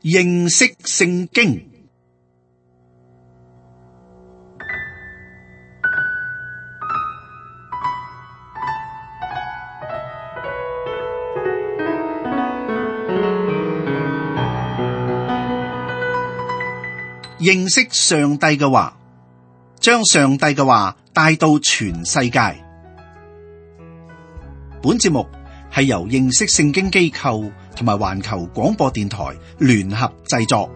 認識聖經。認識上帝嘅話，將上帝嘅話帶到全世界。本節目係由認識聖經機構同埋環球廣播電台聯合製作。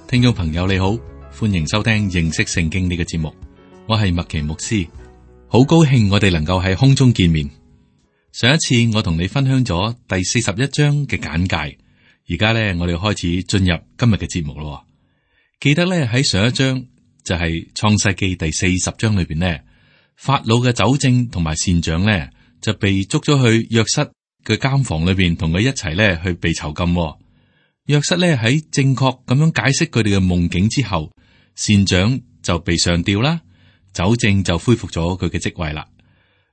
聽眾朋友你好，歡迎收聽認識聖經呢個節目。我係麥奇牧師，好高興我哋能夠喺空中見面。上一次我同你分享咗第41章嘅簡介，而家咧我哋開始進入今日嘅節目咯。記得咧喺上一章就係創世記第40章裏邊呢，法老嘅酒政同埋膳長咧就被捉咗去約瑟嘅監房裏邊，同佢一齊咧去被囚禁。約瑟咧喺正確咁樣解釋佢哋嘅夢境之後，膳長就被上吊啦。酒政就恢復咗佢嘅職位啦。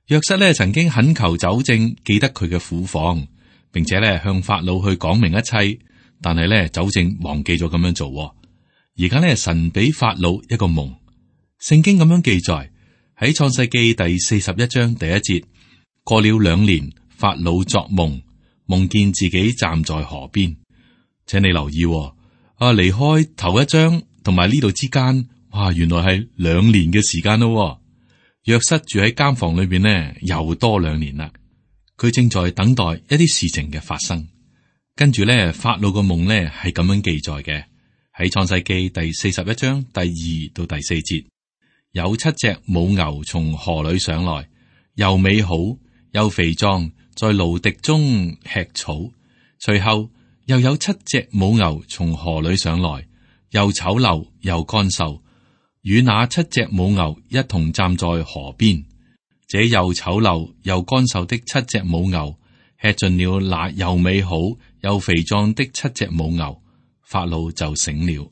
約瑟咧曾經懇求酒政記得佢嘅苦況，並且咧向法老去講明一切，但係咧酒政忘記咗咁樣做。而家咧神俾法老一個夢，聖經咁樣記載喺創世記第41章第1節，過了2年，法老作夢，夢見自己站在河邊。請你留意，離開頭一章同埋呢度之間。哇！原來係2年嘅時間咯。約瑟住喺監房裏邊呢，又多2年啦。佢正在等待一啲事情嘅發生。跟住咧，法老個夢呢係咁樣記載嘅，喺創世記第41章第2到第4節，有7隻母牛從河裏上來，又美好又肥壯，在蘆荻中吃草。隨後又有7隻母牛從河裏上來，又醜陋又乾瘦。與那7隻母牛一同站在河邊，這又醜陋又乾瘦的7隻母牛吃盡了那又美好又肥壯的7隻母牛，法老就醒了。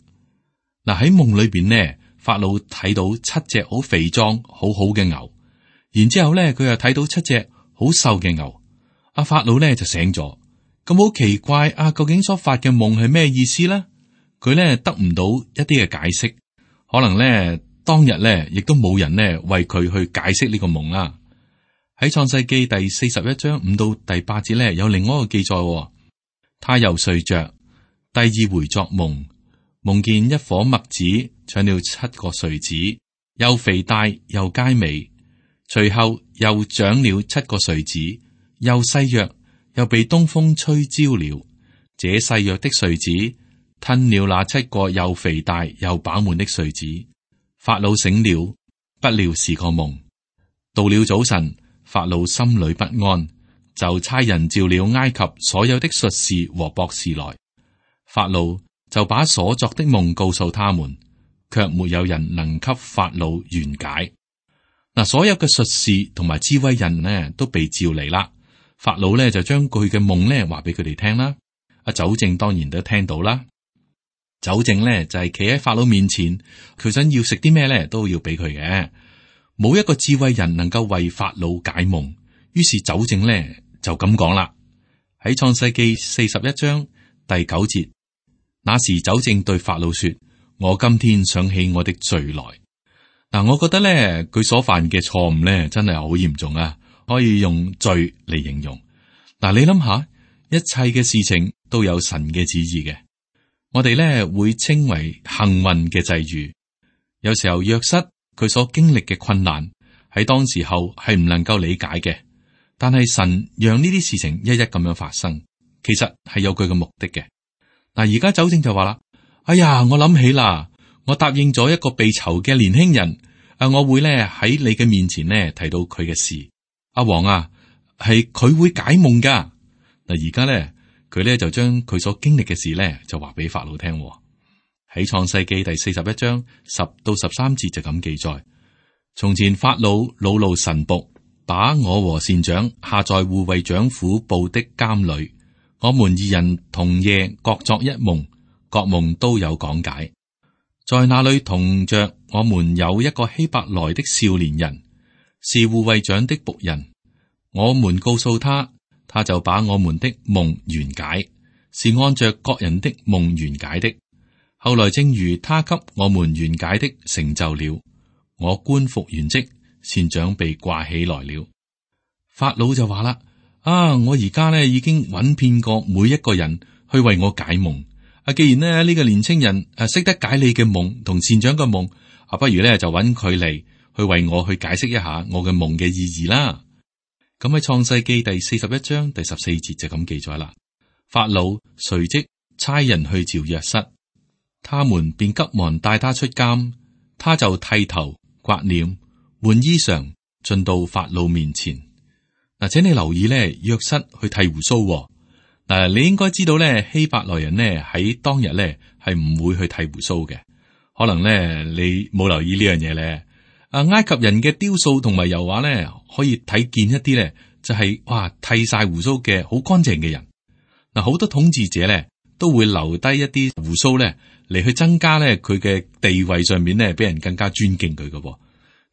嗱，喺夢裏邊呢，法老睇到7隻好肥壯好好嘅牛，然之後咧佢又睇到7隻好瘦嘅牛。阿法老咧就醒咗，咁好奇怪啊！究竟所發嘅夢係咩意思呢？佢咧得唔到一啲嘅解釋。可能咧，當日咧，亦都冇人咧為佢去解釋呢個夢啦。喺創世記第41章5到第8節咧，有另外一個記載。他又睡着，第2回作夢，夢見一顆麥子長了7個穗子，又肥大又佳美。隨後又長了7個穗子，又細弱，又被東風吹焦了。這細弱的穗子吞了那7個又肥大又飽滿的穗子。法老醒了，不料是個夢。到了早晨，法老心裏不安，就差人召了埃及所有的術士和博士來。法老就把所作的夢告訴他們，卻沒有人能給法老圓解。嗱，所有嘅術士同埋智慧人呢都被召嚟啦。法老呢就將佢嘅夢呢話俾佢哋聽啦。阿酒政當然都聽到啦。酒政咧就係企喺法老面前，佢想要食啲咩咧都要俾佢嘅。冇一個智慧人能夠為法老解夢，於是酒政咧就咁講啦。喺創世記41章第9節，那時酒政對法老說：我今天想起我的罪來。嗱，我覺得咧佢所犯嘅錯誤咧真係好嚴重啊，可以用罪嚟形容。嗱，你諗下，一切嘅事情都有神嘅旨意嘅。我哋咧會稱為幸運嘅際遇。有時候約瑟佢所經歷嘅困難喺當時候係唔能夠理解嘅，但係神讓呢啲事情一一咁樣發生，其實係有佢嘅目的嘅。嗱，而家酒政就話啦：哎呀，我諗起啦，我答應咗一個被囚嘅年輕人，我會咧喺你嘅面前呢提到佢嘅事。阿王啊，係佢會解夢噶。嗱，而家咧。佢咧就將佢所經歷嘅事咧就話俾法老聽。喺創世記第41章10到13節就咁記載：從前法老惱怒臣僕，把我和膳長下在護衛長府部的監裏，我們2人同夜各作一夢，各夢都有講解。在那裏同着我們有一個希伯來的少年人，是護衛長的僕人。我們告訴他，他就把我們的夢圓解，是按着各人的夢圓解的。後來正如他給我們圓解的成就了，我官復原職，善長被掛起來了。法老就話啦：我而家呢已經揾遍過每一個人去為我解夢。既然呢個年青人識得解你嘅夢同善長嘅夢，不如呢就揾佢嚟去為我去解釋一下我嘅夢嘅意義啦。咁喺創世記第41章第14節就咁記載啦。法老隨即差人去召約瑟，他們便急忙帶他出監，他就剃頭、刮臉、換衣裳，進到法老面前。嗱，請你留意呢，約瑟去剃鬍鬚。嗱，你應該知道咧，希伯來人呢喺當日咧係唔會去剃鬍鬚嘅。可能咧你冇留意呢樣嘢咧。埃及人嘅雕塑同埋油畫咧，可以睇見一啲咧，就係剃晒鬍鬚嘅好乾淨嘅人。嗱，好多統治者咧都會留低一啲鬍鬚咧嚟去增加咧佢嘅地位上面咧，俾人更加尊敬佢嘅。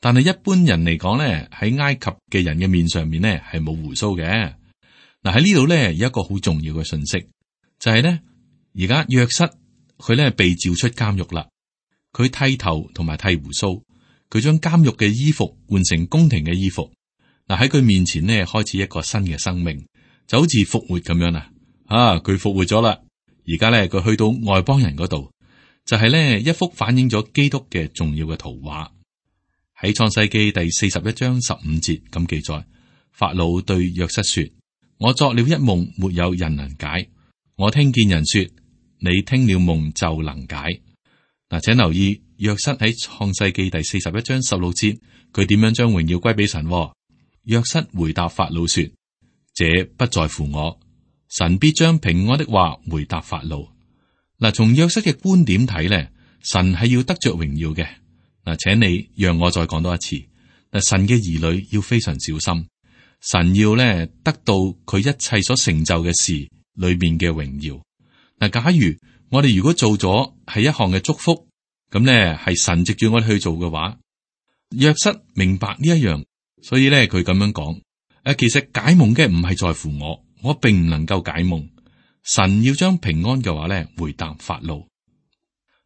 但係一般人嚟講咧，喺埃及嘅人嘅面上面咧係冇鬍鬚嘅。嗱，喺呢度咧有一個好重要嘅信息，就係咧而家約瑟佢咧被召出監獄啦，佢剃頭同埋剃鬍鬚，佢將監獄嘅衣服換成宮廷嘅衣服。嗱，喺佢面前呢開始一個新嘅生命，就好似復活咁樣啦。佢復活咗啦，而家咧佢去到外邦人嗰度，就係咧一幅反映咗基督嘅重要嘅圖畫。喺創世記第41章15節咁記載，法老對約瑟說：我作了一夢，沒有人能解。我聽見人說，你聽了夢就能解。嗱，請留意約瑟喺創世記第41章16節，佢點樣將榮耀歸俾神？約瑟回答法老說：這不在乎我，神必將平安的話回答法老。嗱，從約瑟嘅觀點睇咧，神係要得着榮耀嘅。嗱，請你讓我再講多一次。嗱，神嘅兒女要非常小心。神要咧得到佢一切所成就嘅事裏面嘅榮耀。嗱，假如我哋如果做咗係一項嘅祝福，咁咧係神藉住我哋去做嘅話，約瑟明白呢一樣，所以咧佢咁樣講：其實解夢嘅唔係在乎我並唔能夠解夢。神要將平安嘅話咧回答法老。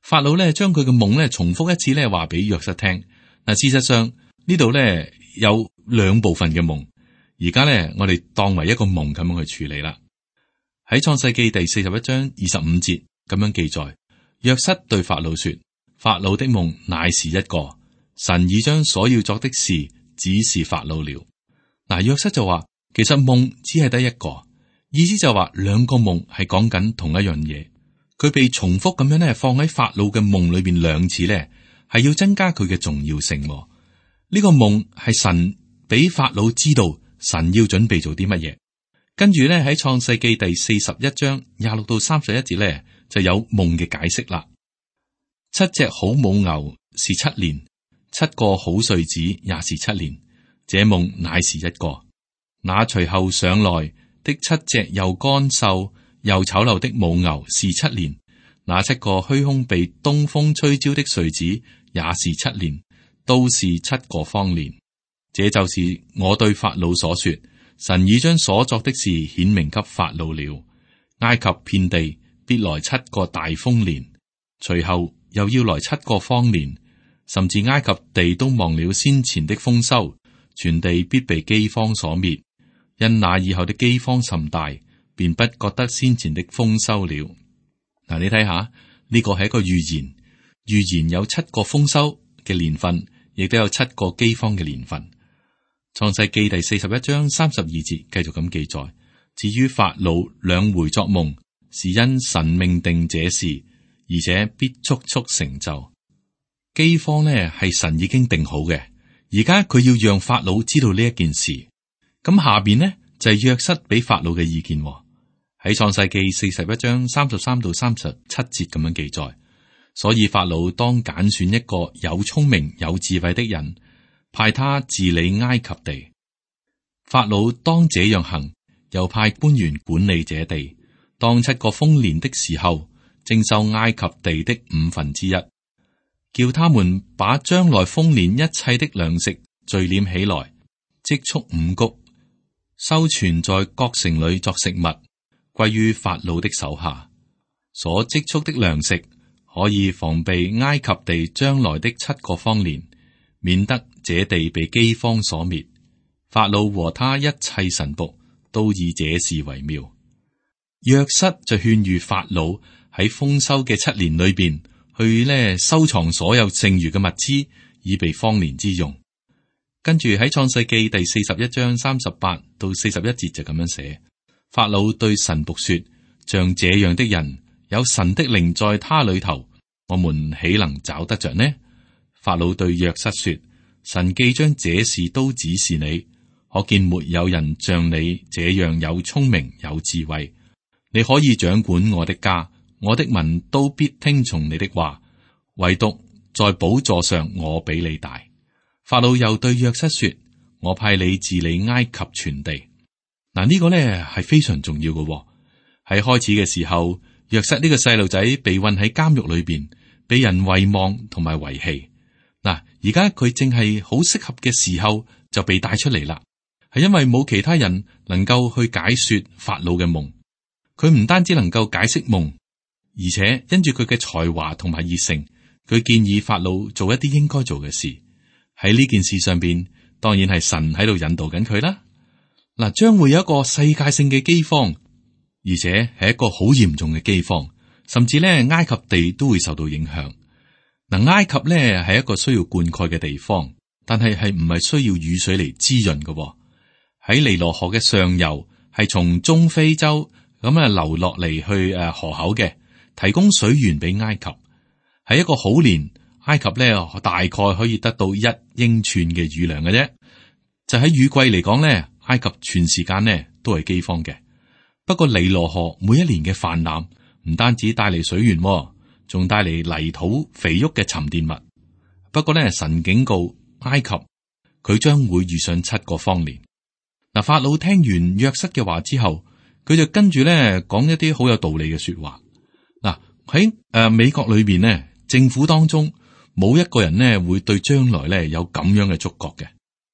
法老咧將佢嘅夢咧重複一次咧話俾約瑟聽。嗱，事實上呢度咧有兩部分嘅夢。而家咧，我哋當為一個夢咁樣去處理啦。喺創世記第41章25節咁樣記載，約瑟對法老說：法老的夢乃是一個，神已將所要作的事指示法老了。嗱，約瑟就話，其實夢只係得一個，意思就話兩個夢係講緊同一樣嘢。佢被重複咁樣咧放喺法老嘅夢裏邊兩次咧，係要增加佢嘅重要性。呢個夢係神俾法老知道。神要準備做啲乜嘢？跟住咧喺創世記第41章26到31節咧就有夢嘅解釋啦。7隻好母牛是7年，7個好穗子也是7年。這夢乃是一個。那隨後上來的7隻又乾瘦又醜陋的母牛是7年。那7個虛空被東風吹焦的穗子也是7年，都是7個方年。這就是我對法老所說，神已將所作的事顯明給法老了。埃及遍地必來7個大豐年，隨後又要來7個荒年，甚至埃及地都忘了先前的豐收，全地必被饑荒所滅。因那以後的饑荒甚大，便不覺得先前的豐收了。嗱，你睇下呢個係一個預言，預言有7個豐收嘅年份，亦都有7個饑荒嘅年份。創世記第41章32節繼續咁記載，至於法老兩回作夢，是因神命定這事，而且必速速成就。饑荒呢係神已經定好嘅，而家佢要讓法老知道呢一件事。咁下邊呢就係約瑟俾法老嘅意見，喺創世記41章33到37節咁樣記載。所以法老當揀選一個有聰明有智慧的人，派他治理埃及地。法老當這樣行，又派官員管理這地。當7個豐年的時候，徵收埃及地的1/5。叫他們把將來豐年一切的糧食聚斂起來，積蓄五穀，收存在各城裏作食物，歸於法老的手下。所積蓄的糧食可以防備埃及地將來的7個荒年，免得這地被饑荒所滅。法老和他一切臣僕都以這事為妙。約瑟就勸喻法老喺豐收嘅7年裏邊去收藏所有剩餘嘅物資，以備荒年之用。跟住喺創世記第41章38到41節就咁樣寫：法老對臣僕說，像這樣的人，有神的靈在他裏頭，我們豈能找得着呢？法老對約瑟說，神既將這事都指示你，可見沒有人像你這樣有聰明有智慧。你可以掌管我的家，我的民都必聽從你的話，唯獨在寶座上我比你大。法老又對約瑟說，我派你治理埃及全地。嗱，呢個呢係非常重要嘅。喺開始嘅時候，約瑟呢個細路仔被困喺監獄裏邊，被人遺忘同埋遺棄。嗱，而家佢正係好適合嘅時候就被帶出嚟啦，係因為冇其他人能夠去解說法老嘅夢。佢唔單止能夠解釋夢，而且因住佢嘅才華同埋熱誠，佢建議法老做一啲應該做嘅事。喺呢件事上邊，當然係神喺度引導緊佢啦。嗱，將會有一個世界性嘅饑荒，而且係一個好嚴重嘅饑荒，甚至咧埃及地都會受到影響。嗱，埃及咧係一個需要灌溉嘅地方，但係唔係需要雨水嚟滋潤嘅。喺尼羅河嘅上游，係從中非洲咁流落嚟去河口嘅，提供水源俾埃及。喺一個好年，埃及咧大概可以得到1英寸嘅雨量嘅啫。就喺雨季嚟講咧，埃及全時間咧都係饑荒嘅。不過尼羅河每一年嘅泛濫，唔單止帶嚟水源，仲帶嚟泥土肥沃嘅沉澱物。不過咧，神警告埃及，佢將會遇上7個荒年。嗱，法老聽完約瑟嘅話之後，佢就跟住咧講一啲好有道理嘅說話。嗱，喺美國裏邊呢，政府當中冇一個人呢會對將來咧有咁樣嘅觸覺嘅。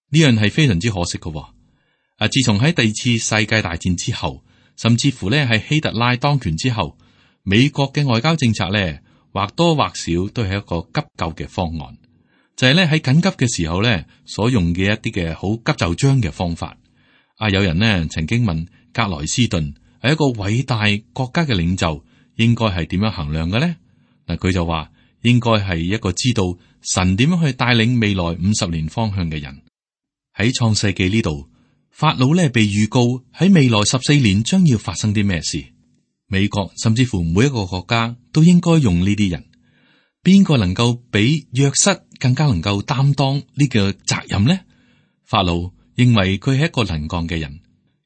呢樣係非常之可惜嘅。自從喺第2次世界大戰之後，甚至乎咧係希特拉當權之後，美國嘅外交政策咧或多或少都係一個急救嘅方案，就係咧喺緊急嘅時候咧所用嘅一啲嘅好急就章嘅方法。有人呢曾經問格萊斯頓係一個偉大國家嘅領袖，應該係點樣衡量嘅呢？嗱，佢就話應該係一個知道神點樣去帶領未來50年方向嘅人。喺創世記呢度，法老咧被預告喺未來14年將要發生啲咩事。美國甚至乎每一個國家都應該用呢啲人。邊個能夠比約瑟更加能夠擔當呢個責任呢？法老認為佢係一個能幹嘅人。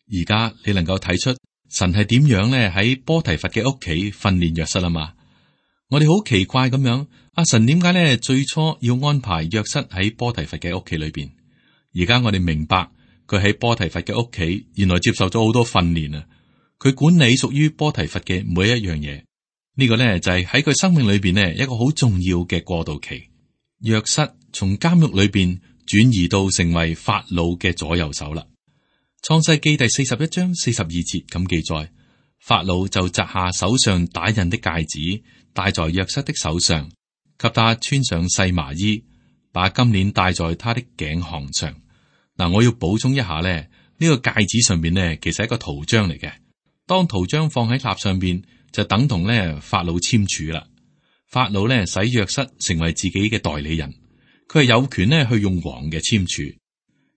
而家你能夠睇出神係點樣咧喺波提乏嘅屋企訓練約瑟啊嘛？我哋好奇怪咁樣，神點解咧最初要安排約瑟喺波提乏嘅屋企裏邊？而家我哋明白佢喺波提乏嘅屋企，原來接受咗好多訓練啊！佢管理屬於波提乏嘅每一樣嘢，呢個咧就係喺佢生命裏邊呢一個好重要嘅過渡期。約瑟從監獄裏邊轉移到成為法老嘅左右手啦。創世記第41章42節咁記載，法老就摘下手上打印的戒指，戴在約瑟的手上，給他穿上細麻衣，把金鏈戴在他的頸項上。嗱，我要補充一下咧，呢個戒指上邊呢，其實係一個圖章嚟嘅。當圖章放喺蠟上邊，就等同咧法老簽署啦。法老咧使約瑟成為自己嘅代理人，佢係有權咧去用王嘅簽署。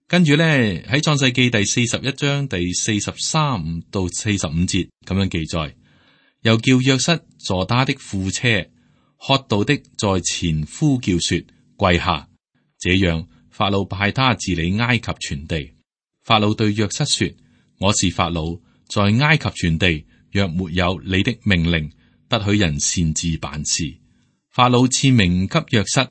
跟住咧喺創世記第41章第43到45節咁樣記載，又叫約瑟坐他的副車，喝道的在前呼叫說跪下，這樣法老派他治理埃及全地。法老對約瑟說：我是法老，在埃及全地若沒有你的命令，不許人擅自辦事。法老賜名給約瑟，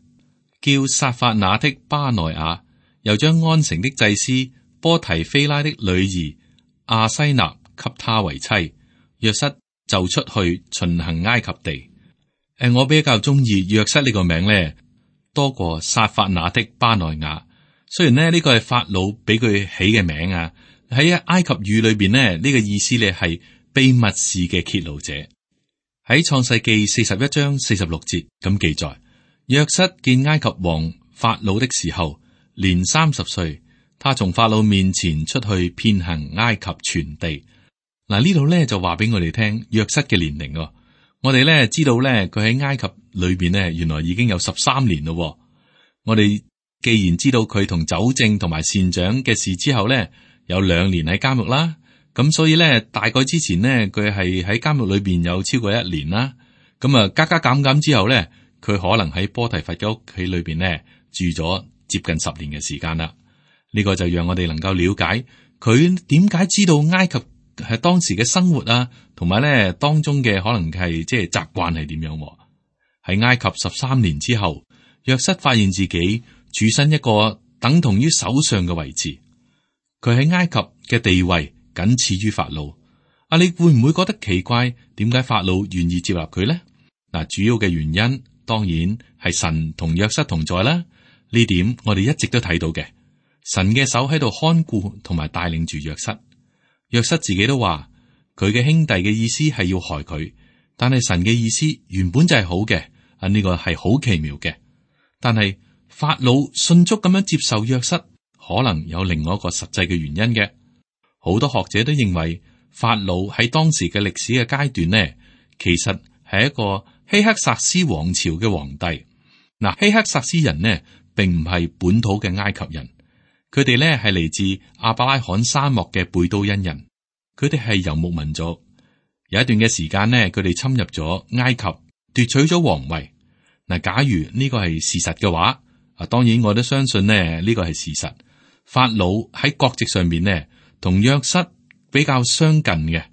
叫撒法那的巴內亞，又將安城的祭司波提菲拉的女兒亞西納給他為妻。約瑟就出去巡行埃及地。我比較中意約瑟呢個名咧，多過撒法那的巴內亞。雖然呢個係法老俾佢起嘅名啊，喺埃及語裏邊呢，呢個意思呢係秘密事嘅揭露者。喺創世記41章46節咁記載，約瑟見埃及王法老的時候，年30歲，他從法老面前出去遍行埃及全地。嗱，呢度呢就話俾我哋聽約瑟嘅年齡。我哋呢知道呢，佢喺埃及裏邊呢，原來已經有13年咯。我哋既然知道佢同酒政同埋善長嘅事之後呢，有2年喺監獄啦，咁所以呢，大概之前呢，佢係喺監獄裏邊有超過1年啦。咁啊，加加減減之後呢，佢可能喺波提乏嘅屋企裏邊呢住咗接近10年嘅時間啦。呢個就讓我哋能夠了解佢點解知道埃及係當時嘅生活啊，同埋呢當中嘅可能係即係習慣係點樣。喺埃及13年之後，約瑟發現自己處身一個等同於首相嘅位置，佢喺埃及嘅地位僅次於法老。你會唔會覺得奇怪？點解法老願意接納佢呢？主要嘅原因當然係神同約瑟同在啦。呢點我哋一直都睇到嘅，神嘅手喺度看顧同埋帶領住約瑟。約瑟自己都話，佢嘅兄弟嘅意思係要害佢，但係神嘅意思原本就係好嘅。呢個係好奇妙嘅。但係法老迅速咁樣接受約瑟，可能有另外一個實際嘅原因嘅。好多學者都認為法老喺當時嘅歷史嘅階段呢，其實係一個希克薩斯王朝嘅皇帝。希克薩斯人呢，並唔係本土嘅埃及人，佢哋呢係嚟自亞伯拉罕沙漠嘅貝都因人，佢哋係游牧民族。有一段嘅時間呢，佢哋侵入咗埃及，奪取咗皇位。假如呢個係事實嘅話，當然我都相信呢個係事實。法老喺國籍上面呢，同約瑟比較相近嘅。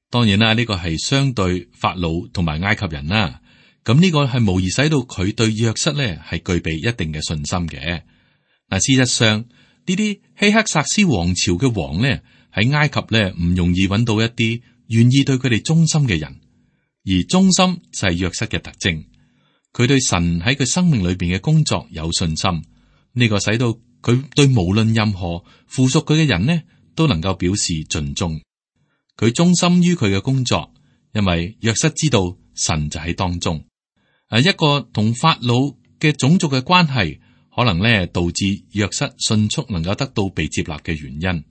當然啦，呢個係相對法老同埋埃及人啦。咁呢個係無疑使到佢對約瑟呢係具備一定嘅信心嘅。事實上呢啲希克薩斯王朝嘅王呢，喺埃及呢唔容易揾到一啲願意對佢哋忠心嘅人，而忠心就係約瑟嘅特徵。佢對神喺佢生命裏邊嘅工作有信心，呢個使到佢對無論任何附屬佢嘅人呢，都能夠表示盡忠。佢忠心於佢嘅工作，因為約瑟知道神就喺當中。一個同法老嘅種族嘅關係，可能呢導致約瑟迅速能夠得到被接納嘅原因。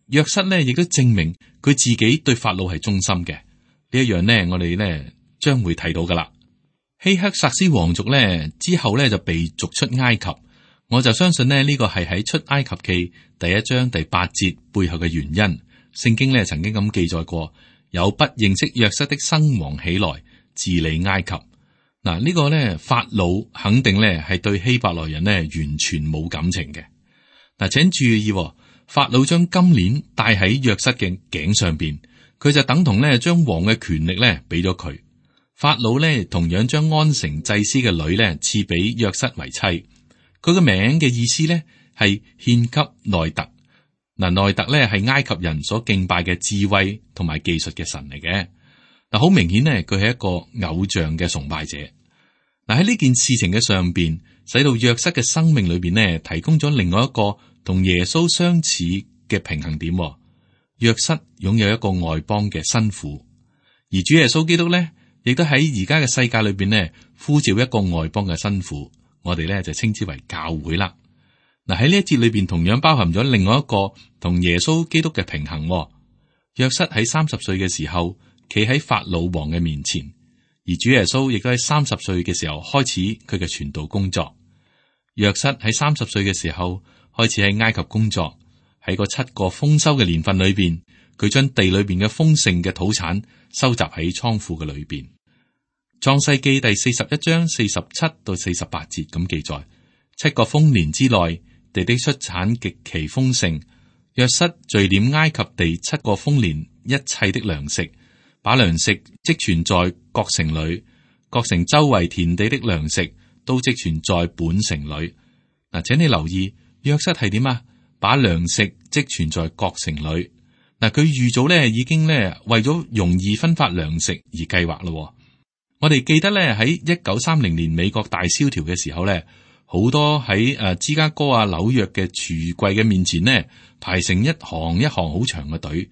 約瑟呢亦都證明佢自己對法老係忠心嘅。呢一樣呢，我哋呢將會睇到噶啦。希克薩斯王族呢之後呢就被逐出埃及，我就相信呢呢個係喺出埃及記第1章第8節背後嘅原因。聖經呢曾經咁記載過，有不認識約瑟的生王起來治理埃及。呢個呢法老肯定呢係對希伯來人呢完全冇感情嘅。請注意，法老將金鏈戴喺約瑟嘅頸上邊，佢就等同呢將王嘅權力呢俾咗佢。法老呢同樣將安城祭司嘅女呢賜俾約瑟為妻，佢個名嘅意思呢係獻給內特。內特呢係埃及人所敬拜嘅智慧同埋技術嘅神嚟嘅。好明顯呢，佢係一個偶像嘅崇拜者。喺呢件事情嘅上邊，使到約瑟嘅生命裏邊呢提供咗另外一個同耶穌相似嘅平衡點。約瑟擁有一個外邦嘅新婦，而主耶穌基督呢，亦都喺而家嘅世界裏邊呢，呼召一個外邦嘅新婦，我哋呢就稱之為教會啦。喺呢一節裏邊，同樣包含咗另外一個同耶穌基督嘅平衡。約瑟喺30歲嘅時候，企喺法老王嘅面前，而主耶穌亦都喺30歲嘅時候開始佢嘅傳道工作。約瑟喺30歲嘅時候開始喺埃及工作，喺個7個豐收嘅年份裏邊，佢將地裏邊嘅豐盛嘅土產收集喺倉庫嘅裏邊。創世記第41章47到48節咁記載：7個豐年之內，地的出產極其豐盛。約瑟聚斂埃及地7個豐年一切的糧食，把糧食積存在各城裏，各城周圍田地的糧食都積存在本城裏。請你留意約瑟係點啊？把糧食積存在各城裏。佢預早呢已經呢為咗容易分發糧食而計劃咯。我哋記得咧喺1930年美國大蕭條嘅時候咧，好多喺芝加哥啊、紐約嘅櫥櫃嘅面前呢，排成一行一行好長嘅隊。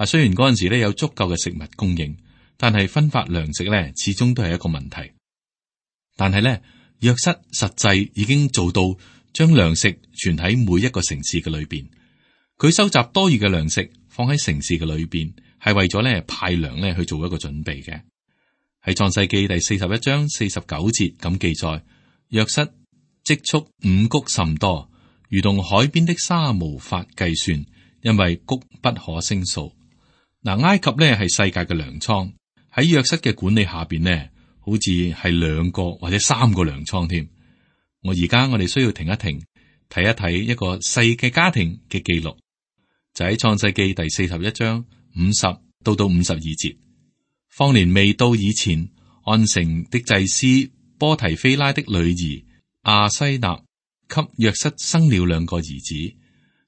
雖然嗰陣時咧有足夠嘅食物供應，但係分發糧食咧始終都係一個問題。但係咧，約瑟實際已經做到將糧食存喺每一個城市嘅裏邊。佢收集多餘嘅糧食放喺城市嘅裏邊，係為咗咧派糧咧去做一個準備嘅。喺創世記第41章49節咁記載，約瑟積蓄五穀甚多，如同海邊的沙無法計算，因為穀不可勝數。嗱，埃及咧係世界嘅糧倉，喺約瑟嘅管理下邊呢，好似係2個或者3個糧倉添。我哋需要停一停，睇一睇一個細嘅家庭嘅記錄，就喺創世記第41章50到52節。荒年未到以前，安城的祭司波提菲拉的女兒亞西納給約瑟生了2個兒子。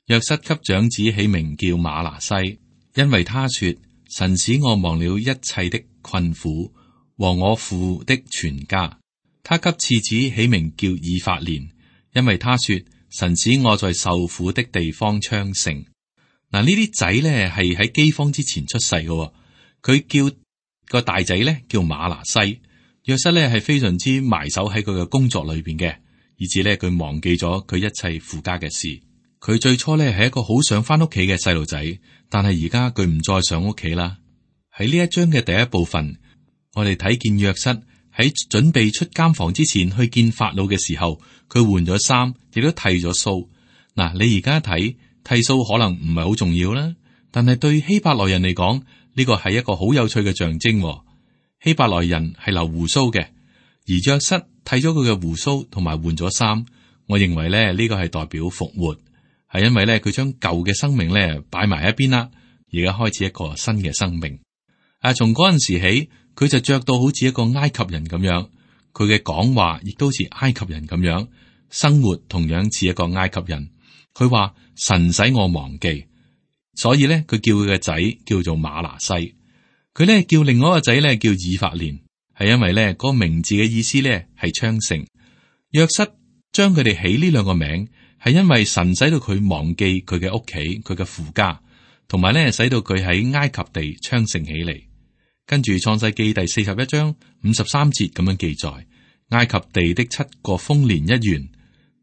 約瑟給長子起名叫瑪拿西，因為他說：神使我忘了一切的困苦和我父的全家。他給次子起名叫以法蓮，因為他說：神使我在受苦的地方昌盛。嗱，呢啲仔咧係喺饑荒之前出世嘅。佢叫個大仔咧叫瑪拿西。約瑟咧係非常之埋首喺佢嘅工作裏邊嘅，以至咧佢忘記咗佢一切父家嘅事。佢最初咧係一個好想翻屋企嘅細路仔，但係而家佢唔再上屋企啦。喺呢一章嘅第一部分，我哋睇見約瑟喺準備出監房之前去見法老嘅時候，佢換咗衫，亦都剃咗鬚。嗱，你而家睇剃鬚可能唔係好重要啦，但係對希伯來人嚟講，呢個係一個好有趣嘅象徵。希伯來人係留鬍鬚嘅，而約瑟剃咗佢嘅鬍鬚同埋換咗衫。我認為咧呢個係代表復活，係因為咧佢將舊嘅生命咧擺埋一邊啦，而家開始一個新嘅生命。從嗰陣時起，佢就着到好似一個埃及人咁樣，佢嘅講話亦都似埃及人咁樣，生活同樣似一個埃及人。佢話神使我忘記，所以咧佢叫佢嘅仔叫做瑪拿西。佢咧叫另外一個仔咧叫以法蓮，係因為咧嗰個名字嘅意思咧係昌盛。約瑟將佢哋起呢2個名，係因為神使到佢忘記佢嘅屋企、佢嘅父家，同埋咧使到佢喺埃及地昌盛起嚟。跟住創世記第41章53節咁樣記載，埃及地的7個豐年一完。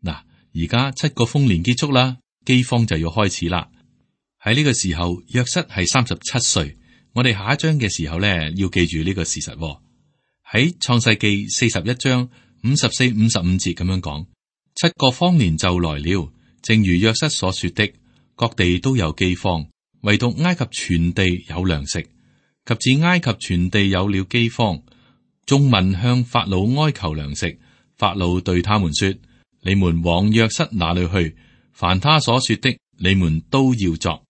嗱，而家7個豐年結束啦，饑荒就要開始啦。喺呢個時候，約瑟係37歲。我哋下一章嘅時候咧，要記住呢個事實。喺創世記41章54、55節咁樣講，7個荒年就來了，正如約瑟所說的，各地都有饑荒，唯獨埃及全地有糧食。及至埃及全地有了饑荒，眾民向法老哀求糧食。法老對他們說：你們往約瑟那裏去，凡他所說的，你們都要作。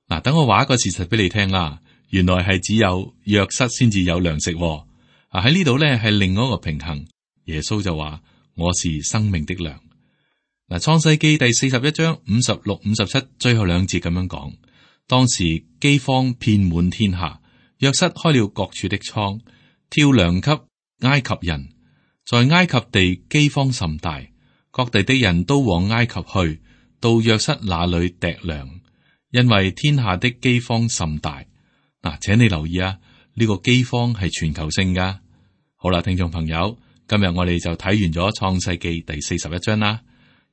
嗱，等我話一個事實俾你聽啦。原來係只有約瑟先至有糧食。喺呢度咧係另外一個平衡。耶穌就話：我是生命的糧。嗱，創世記第41章56、57最後2節咁樣講，當時饑荒遍滿天下。約瑟開了各處的倉，挑糧給埃及人。在埃及地饑荒甚大，各地的人都往埃及去，到約瑟那裏糴糧，因為天下的饑荒甚大。嗱，請你留意啊，呢個饑荒係全球性噶。好啦，聽眾朋友，今日我哋就睇完咗創世記第41章啦。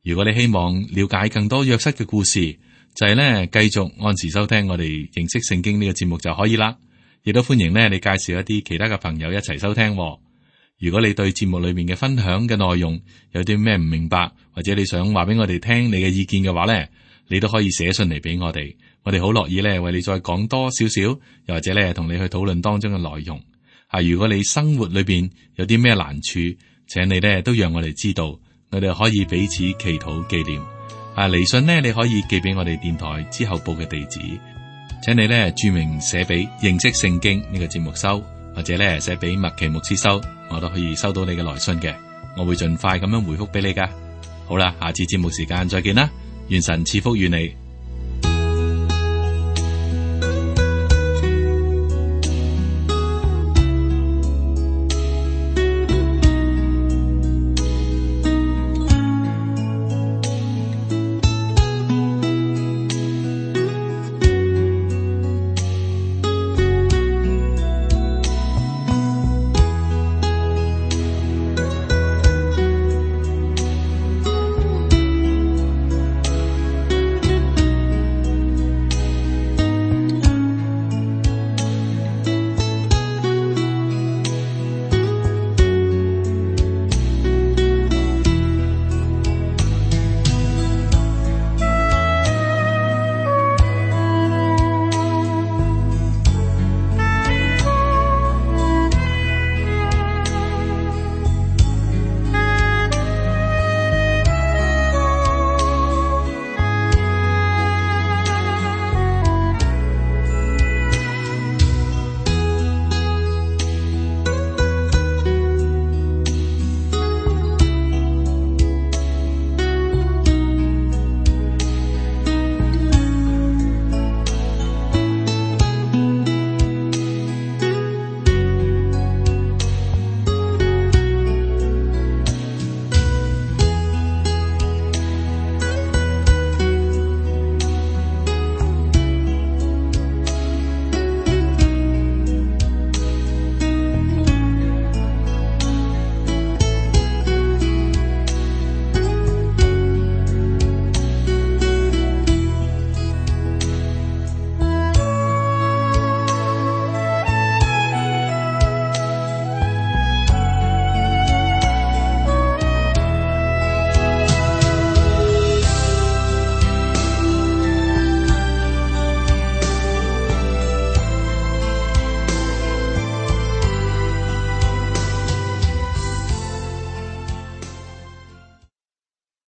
如果你希望了解更多約瑟嘅故事，就係咧繼續按時收聽我哋認識聖經呢個節目就可以啦。亦都歡迎咧，你介紹一啲其他嘅朋友一齊收聽。如果你對節目裏面嘅分享嘅內容有啲咩唔明白，或者你想話俾我哋聽你嘅意見嘅話咧，你都可以寫信嚟俾我哋，我哋好樂意咧為你再講多少少，又或者咧同你去討論當中嘅內容。如果你生活裏邊有啲咩難處，請你咧都讓我哋知道，我哋可以彼此祈禱紀念。嚟信呢，你可以寄俾我哋電台之後報嘅地址。請你咧注明寫俾認識聖經呢個節目收，或者咧寫俾麥奇牧師收，我都可以收到你嘅來信嘅，我會盡快咁樣回覆俾你噶。好啦，下次節目時間再見啦，願神賜福與你。